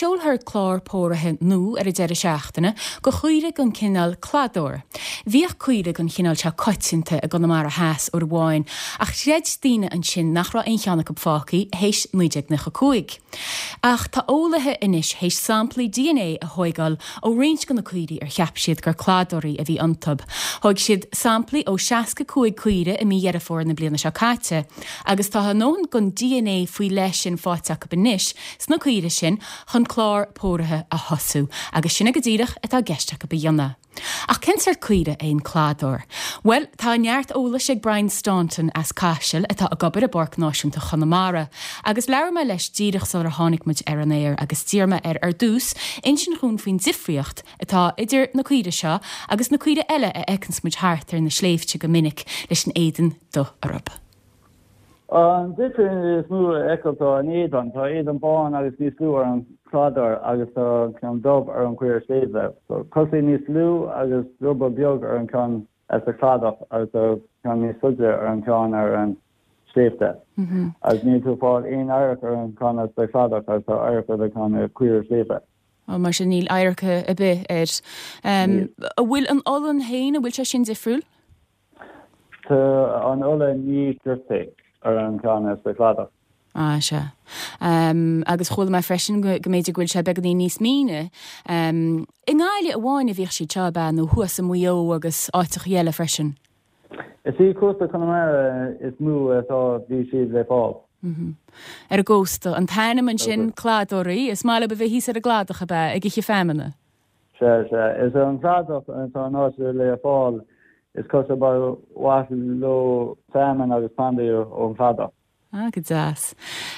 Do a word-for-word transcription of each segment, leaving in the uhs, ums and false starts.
seolfar clár póraithe nua ar an deireadh seachtaine do chaoirigh den chineál cladóir. Bhíodh caoirigh den chineál seo coitianta i gConamara Theas uair amháin, ach chreid daoine ansin nach raibh aon cheann acu fágtha théis naoi déag nócha cúig. Ach tá eolaithe anois théis samplaí D N A a thógáil ó roinnt de na caoirigh ar cheap siad gur cladóirí a bhí iontu. Thóg siad samplaí ó seasca cúig caoire i mí Dheireadh Fómhair na bliana seo caite, agus tá a ndóthain den D N A faoi leith sin faighte acu anois sna caoirigh sin chun clár póraithe a thosú, agus sin é go díreach atá i gceist acu a dhéanamh. Ach cén sórt caoire é an cladóir? Bhuel, tá neart eolais ag Brian Staunton as Caiseal atá ag obair i bPáirc Náisiúnta Chonamara, agus labhair mé leis díreach sular tháinig muid ar an aer agus d'iarr mé air ar dtús insint dhúinn faoin difríocht atá idir na caoirigh seo agus na caoirigh eile a fheiceanns muid thart ar na sléibhte go minic leis an éadan dubh orthu. An difríocht is mó a fheiceáil tá an éadan, tá éadan bán agus níos lú ar an cladóir agus tá ceann dubh ar an chaora sléibhe. So cosa níos lú agus druball beag ar an ceann as an cladach agus tá ceann níos faide ar an ceann ar an sléibhte. Mm -hmm. Agus níl tú fáil aon adharc ar an ceann as an cladach agus tá adharc ar an ceann caora sléibhe. Ó, mar sin níl adharc ar bith air. Um, an bhfuil an olann féin, an bhfuil sé sin difriúil? Tá an olann níos doirte ar an ceann as an cladach. Ah, sea. Um, agus chuala mé freisin go mb'fhéidir go bhfuil sé beagáinín níos míne. Um, I nGaillimh amháin a bhíodh siad seo ab ea nó thuas i Maigh Eo agus áiteacha eile freisin. Is í cósta Chonamara is mó atá bhí siad le fáil. Mm -hmm. Ar an gcósta, an t-ainm ansin cladóirí, is maith leo a bheith thíos ar an gcladach ab ea ag ithe feamainne. Sea sea is an cladach atá an áit le fáil, is cosúil ba mhaith leo feamainn agus plandaí ón chladach. Ah, go deas.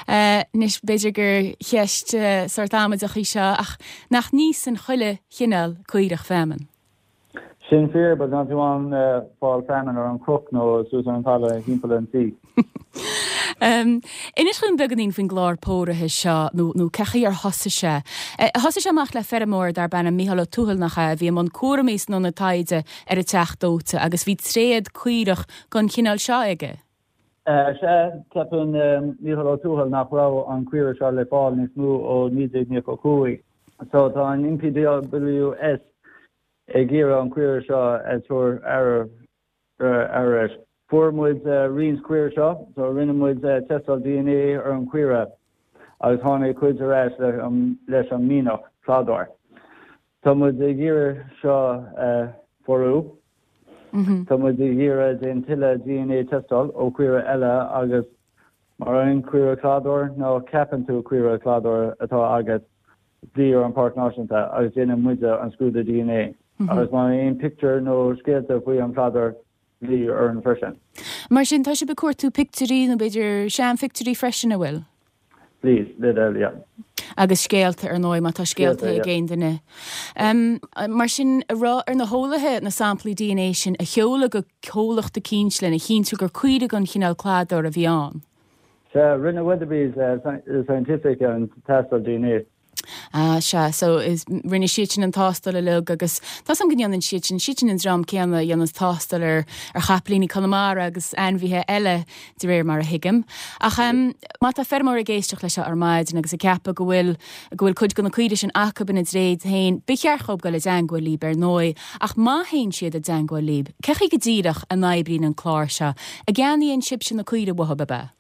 Uh, Anois b'fhéidir gur cheist uh, sórt amaideach í seo, ach nach n-itheann chuile chineál caorach feamainn. Sin fíor, but gan tú an uh, fáil feamainn ar an cnoc nó suas ar an talamh timpeall an tí. Um, Inis dúinn beagáinín faoin gclár póraithe seo nó nó cén chaoi ar thosaigh sé. E, thosaigh sé amach le feirmeoir darb ainm Mícheál Ó Tuathail, nach ea, a bhí i mbun cúraimí san ionad taighde ar an Teach Dóite agus bhí tréad caorach den chineál seo aige. Se ceapann Mícheál Ó Tuathail nach raibh an caora seo le fáil níos mó ó naoi déag nócha cúig. So tá an N P W S ag iarraidh an caora seo a chur ar ar Fuair muid roinnt caora seo, so rinne muid tástáil D N A ar an caora agus tháinig cuid ar ais leis an mianach cladóir. Tá muid ag iarraidh seo pórú. Tá muid ag iarraidh déan tuilleadh D N A tástáil ó caora eile agus mar an caora cladóir nó ceapann tú caora cladóir atá agat, glaoigh ar an Páirc Náisiúnta agus déanann muide an scrúdú D N A. Agus má aon pictiúr nó scéalta faoi an cladóir, glaoigh orainn freisin. Mar sin tá sibh ag cuartú pictiúirí nó b'fhéidir seanphictiúirí freisin, an bhfuil? Please, le yeah. Agus scéalta ar ndóigh, má tá scéalta ag aon duine. Um, mar sin an raibh ar na heolaithe na samplaí D N A sin a sheoladh go comhlacht eicínt lena chinntiú gur caoirigh den chineál cladóir a bhí ann. Se rinne Weatherby's uh, Scientific an tástáil D N A. Ah, sea, so is rinne siad sin an tástáil uilig agus tá an go ndéanann siad sin siad sin an dream céanna a dhéanann tástáil ar ar chapaillíní Conamara agus ainmhithe eile, de réir mar a thuigim. Ach um, má tá feirmeoir ag éisteacht leis seo ar maidin agus ag ceapadh go bhfuil go bhfuil cuid de na caoirigh sin acu ina dtréad féin, ba cheart dóibh dul i dteagmháil libh ar ndóigh, ach má théann siad i dteagmháil libh, cén chaoi go díreach a n-oibríonn an clár seo, an gceannaíonn sibhse na caoirigh uathu, ab ea?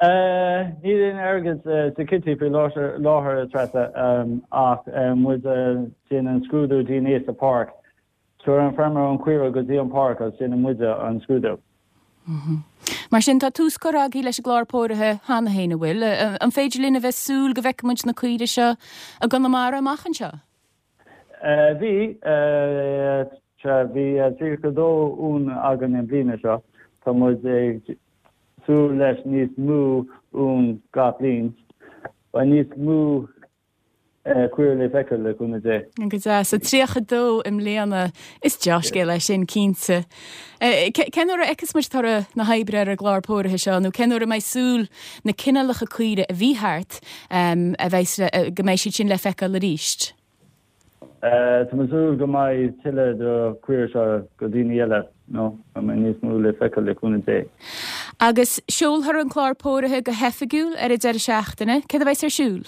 Níl aon airgead sa kitty faoi láthair, Treasa, ach muid déanann scrúdú D N A sa páirc. Tabhair an feirmeoir an caora go dtí an páirc agus déanann muide an scrúdú. Mar sin tá tús curtha agaibh leis an gclár póraithe cheana féin, an bhfuil? An féidir linn a bheith súil go bhfeicfidh muid na caoirigh seo i gConamara amach anseo? Bhí bhí tríocha dó uan againn an bliana seo. Tá muid ag súil leis níos mó uan gach bliain. Ba níos mó caora le feiceáil, le cúnamh Dé. Go deas, a tríocha dó i mbliana, is dea-scéal é sin cinnte. Cén uair a fheicfeas muid toradh na hoibre ar an gclár póraithe seo, nó cén uair a mbeidh súil na cineálacha caoirigh a bhí thart a bheidh go mbeidh siad sin le feiceáil arís? Tá mé súil go mbeidh tuilleadh de caora seo go daoine eile nó mé níos mó le feiceáil, le cúnamh Dé. Agus seolfar an clár póraithe go hoifigiúil ar an deireadh seachtaine, céard a bheidh ar siúl?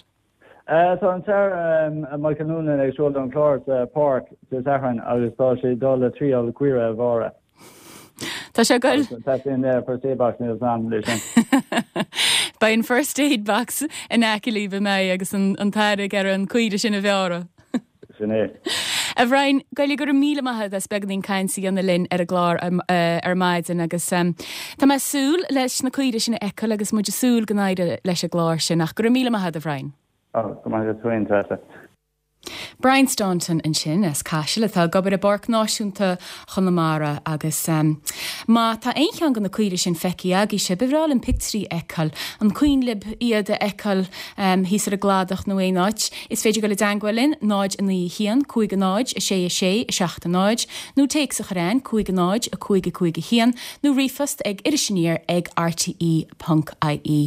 Uh, tá an tAire Michael Noonan ag seoladh an clár sa Pháirc sa Satharn agus tá sé dul le triail caora a bhearradh. Tá sé goil Tá in first aid box níl sam leis sin. Beidh an first aid box in aice libh mé agus an an t-aire ar an caora sin a bhearradh. Sin é. A Bhriain go raibh míle maith as beagáinín cainte a dhéanamh linn ar an gclár ar maidin agus um, Tá mé súil leis na caoirigh sin a fheiceáil agus muid súil go n-éireoidh leis an gclár sin ach go raibh míle maith a Bhriain. Go maith féin Treasa. Brian Staunton ansin as Caiseal atá ag obair i bPáirc Náisiúnta Chonamara agus um, má tá aon cheann de na caoirigh sin feicthe agaibhse, ba bhreá linn pictiúirí a fheiceáil an cuimhin libh iad a fheiceáil um, thíos ar an gcladach nó aon áit, is féidir dul i dteagmháil linn náid a naoi haon cúig a náid a sé a sé a seacht a náid, nó téacs a chur chugainn cúig a náid a cúig a cúig a haon nó ríomhphost ag irisaniar ag rte.ie.